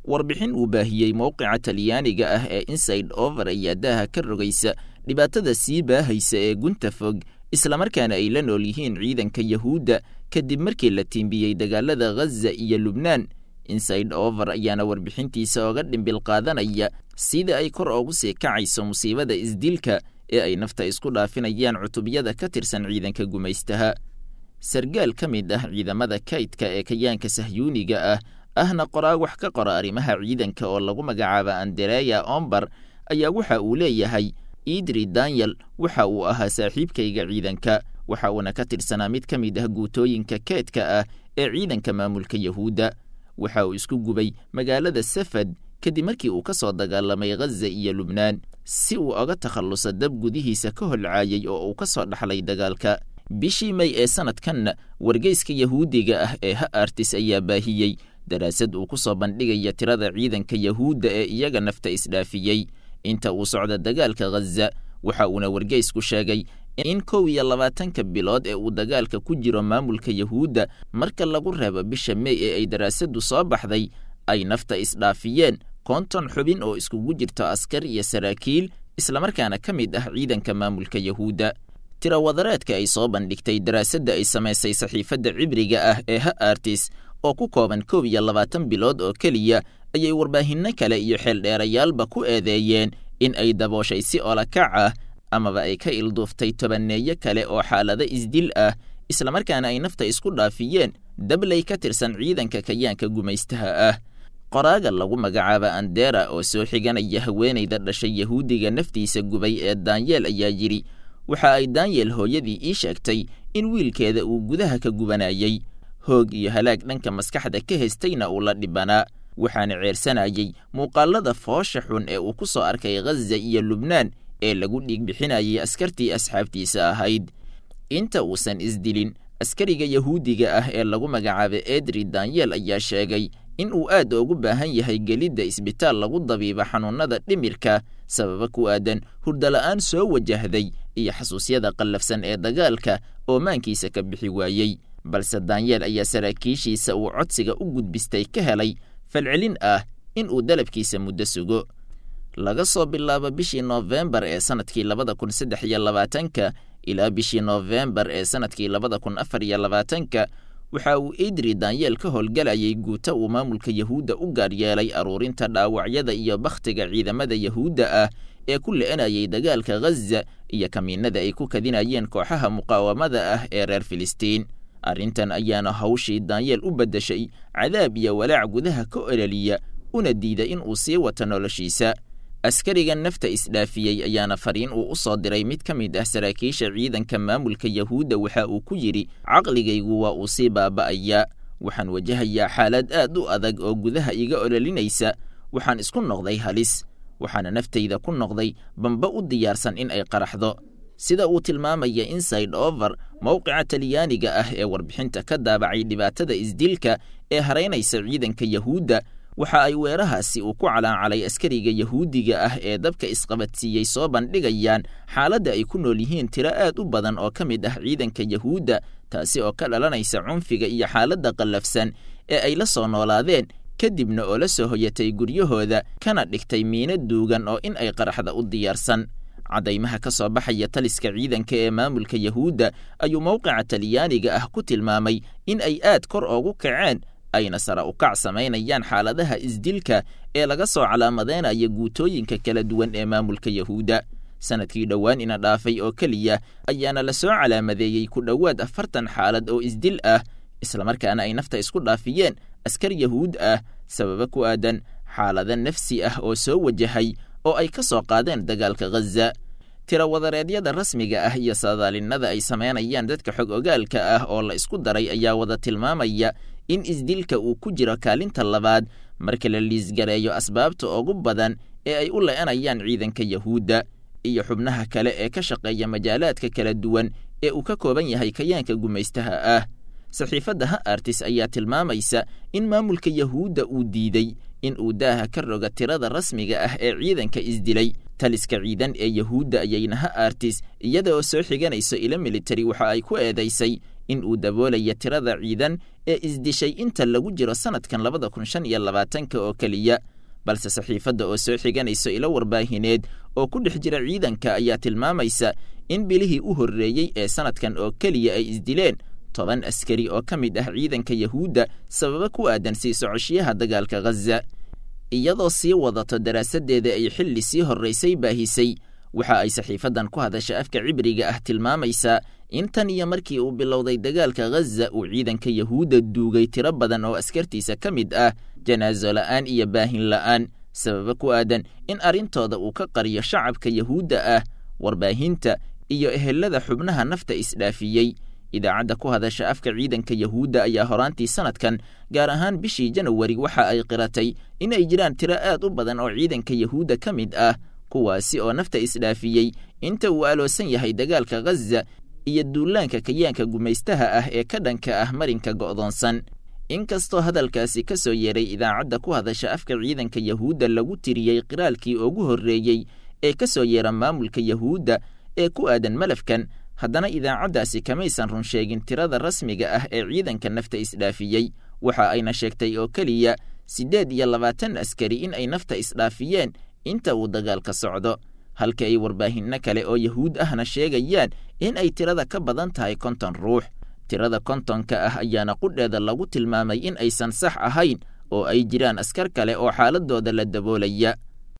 Warbixin uu baahiyey mowqica Talyaaniga ah ee Inside Over ayaa daaha ka rogaysa dhibaatada sii baahaysa ee gunta fog, islamarkaana ay la nool yihiin ciidanka Yahuudda kadib markii la tiimbiyey dagaalada Ghaza iyo Lubnaan. Inside Over ayaana warbixintiisa oga dhimbil qaadanaya sida ay kor ugu sii kacayso musiibada isdilka ee ay nafta isku dhaafinayaan cutubyada ka tirsan ciidanka gumaystaha. Sargaal ka mid ah ciidamada kaydka ee kayaanka Sahyuuniga ah, ahna qoraa wax ka qora arrimaha ciidanka oo lagu magacaaba Andereya Ombar, ayaa waxa uu leeyahay: Idri Daniel waxa uu ahaa saaxiibkayga ciidanka, waxa uuna ka tirsanaa mid ka mid ah guutooyinka keedka ah ee ciidanka maamulka Yahuudda. Waxa uu isku gubay magaalada Safad kadib markii uu ka soo dagaalamay Ghaza iyo Lubnaan, si uu oga takhalluso dab gudihiisa ka holcaayay oo uu ka soo dhaxlay dagaalka. Bishii May ee sanadkanna, wargeyska Yahuudiga ah ee Ha-Artis ayaa baahiyey daraasad uu ku soo bandhigaya tirada ciidanka Yahuudda ee iyaga nafta isdhaafiyey inta uu socda dagaalka Ghaza. Waxa uuna wargeysku sheegay in 21-ka bilood ee uu dagaalka ku jiro maamulka Yahuudda, marka lagu reebo bisha Mey ee ay daraasaddu soo baxday, ay nafta isdhaafiyeen 50 xubin oo iskugu jirto askar iyo saraakiil, islamarkaana ka mid ah ciidanka maamulka Yahuudda. Tirawadareedka ay soo bandhigtay daraasadda ay samaysay saxiifadda cibriga ah ee Ha-Artis oo ku kooban 21 bilood oo keliya ayay warbaahinno kale iyo xeeldheerayaalba ku eedeeyeen in ay dabooshay si olakac ah amaba ay ka ilduuftay tobaneeyo kale oo xaalado isdil ah, islamarkaana ay nafta isku dhaafiyeen dabley ka tirsan ciidanka kayaanka gumaystaha ah. Qoraaga lagu magacaaba Andera oo soo xiganaya haweenayda dhashay Yahuudiga naftiisa gubay ee Danyeel ayaa yidhi: waxa ay Danyel hooyadii ii sheegtay in wiilkeeda uu gudaha ka gubanayay, hoog iyo halaag dhanka maskaxda ka haystayna uu la dhibanaa, waxaana ceersanayay muuqaalada foosha xun ee uu ku soo arkay Ghaza iyo Lubnaan ee lagu dhiig bixinayay askartii asxaabtiisa ahayd. Inta uusan isdilin, askariga Yahuudiga ah ee lagu magacaabay Edri Danyel ayaa sheegay in uu aad ugu baahan yahay gelidda isbitaal lagu dabiibo xanuunada dhimirka, sababa ku aadan hurdala'aan soo wajahday iyo xasuusyada qallafsan ee dagaalka oo maankiisa ka bixi waayey. Balse Danyeel ayaa saraakiishiisa uu codsiga u gudbistay ka helay falcelin ah in uu dalabkiisa muddo sugo. Laga soo bilaabo bishii Noofembar ee sanadkii 2023-ka ilaa bishii Noofembar ee sanadkii 2024-ka, waxa uu Idri Danyeel ka howlgalayay guuta uu maamulka Yahuudda u gaar yeelay aruurinta dhaawacyada iyo bakhtiga ciidamada Yahuudda ah ee ku le'enayay dagaalka Ghaza iyo kamiinada ay ku kadinayeen kooxaha muqaawamada ah ee reer Filistiin. Arrintan ayaana hawshii Danyeel u beddeshay cadaab iyo walaac gudaha ka ololiya, una diida in uu sii wato noloshiisa. Askariga nafta isdhaafiyey ayaana fariin uu u soo diray mid ka mid ah saraakiisha ciidanka maamulka Yahuudda waxa uu ku yidhi: caqligaygu waa uu sii baaba'ayaa, waxaan wajahayaa xaalad aad u adag oo gudaha iga ololinaysa, waxaan isku noqday halis, waxaana naftayda ku noqday bamba u diyaarsan in ay qaraxdo. Sida uu tilmaamaya Inside Over, mowqica Talyaaniga ah ee warbixinta ka daabacay dhibaatada isdilka ee haraynaysa ciidanka Yahuudda, waxa ay weerahaasi uu ku calaancalay askariga Yahuudiga ah ee dabka isqabadsiiyey soo bandhigayaan xaaladda ay ku nool yihiin tiro aad u badan oo ka mid ah ciidanka Yahuudda, taasi oo ka dhalanaysa cunfiga iyo xaaladda qallafsan ee ay la soo noolaadeen, kadibna oo la soo hoyatay guryahooda kana dhigtay miino duugan oo in ay qaraxda u diyaarsan. Caddaymaha ka soo baxaya taliska ciidanka ee maamulka Yahuudda ayuu mowqica Talyaaniga ah ku tilmaamay in ay aad kor ugu kaceen, ayna sare u kac samaynayaan xaaladaha isdilka ee laga soo calaamadeynayo guutooyinka kala duwan ee maamulka Yahuudda. Sanadkii dhowaan ina dhaafay oo keliya ayaana la soo calaamadeeyey ku dhowaad 40 xaalad oo isdil ah, islamarkaana ay nafta isku dhaafiyeen askar Yahuud ah, sababa ku aadan xaalado nafsi ah oo soo wajahay oo ay ka soo qaadeen dagaalka Ghaza. Tirawadareedyada rasmiga ah iyo saadaalinada ay samaynayaan dadka xog ogaalka ah oo la isku daray ayaa wada tilmaamaya in isdilka uu ku jiro kaalinta labaad marka la liisgareeyo asbaabta ugu badan ee ay u le'enayaan ciidanka Yahuudda iyo xubnaha kale ee ka shaqeeya majaalaadka kala duwan ee uu ka kooban yahay kayaanka gumaystaha ah. Saxiifadda Ha-Artis ayaa tilmaamaysa in maamulka Yahuudda uu diiday in uu daaha ka roga tirada rasmiga ah ee ciidanka isdilay. Taliska ciidan ee Yahuudda ayayna Ha-Artis, iyada oo soo xiganayso ilo militari, waxa ay ku eedaysay in uu daboolaya tirada ciidan ee isdishay inta lagu jiro sanadkan 2025-ka oo keliya. Balse saxiifadda oo soo xiganayso ilo warbaahineed oo ku dhex jira ciidanka ayaa tilmaamaysa in bilihii u horreeyey ee sanadkan oo keliya ay isdileen 10 askari oo ka mid ah ciidanka Yahuudda sababo ku aadan sii socoshiyaha dagaalka Ghaza. Iyadoo sii wadato daraasaddeeda ay xilli sii horraysay baahisay, waxa ay saxiifaddan ku hadasha afka Cibriga ah tilmaamaysaa in tan iyo markii uu bilowday dagaalka Ghaza uu ciidanka Yahuudda duugay tiro badan oo askartiisa ka mid ah janaaso la'aan iyo baahin la'aan, sababo ku aadan in arrintooda uu ka qariyo shacabka Yahuudda ah, warbaahinta iyo ehelada xubnaha nafta isdhaafiyey. Idaacadda ku hadasha afka ciidanka Yahuudda ayaa horaantii sanadkan, gaar ahaan bishii Janawari, waxa ay qiratay in ay jiraan tiro aad u badan oo ciidanka Yahuudda ka mid ah, kuwaasi oo nafta isdhaafiyey inta uu aloosan yahay dagaalka Ghaza iyo duulaanka kayaanka gumaystaha ah ee ka dhanka ah marinka go'doonsan. Inkastoo hadalkaasi ka soo yeeray idaacadda ku hadasha afka ciidanka Yahuudda lagu tiriyey qiraalkii ugu horreeyey ee ka soo yeera maamulka Yahuudda ee ku aadan malafkan, haddana idaacaddaasi kamaysan run sheegin tirada rasmiga ah ee ciidanka nafta isdhaafiyey. Waxa ayna sheegtay oo keliya 28 askari in ay nafta isdhaafiyeen inta uu dagaalka socdo, halka ay warbaahinno kale oo Yahuud ahna sheegayaan in ay tirada ka badan tahay 50 ruux. Tirada 50-ka ah ayaana qudheeda lagu tilmaamay in aysan sax ahayn oo ay jiraan askar kale oo xaaladooda la daboolaya.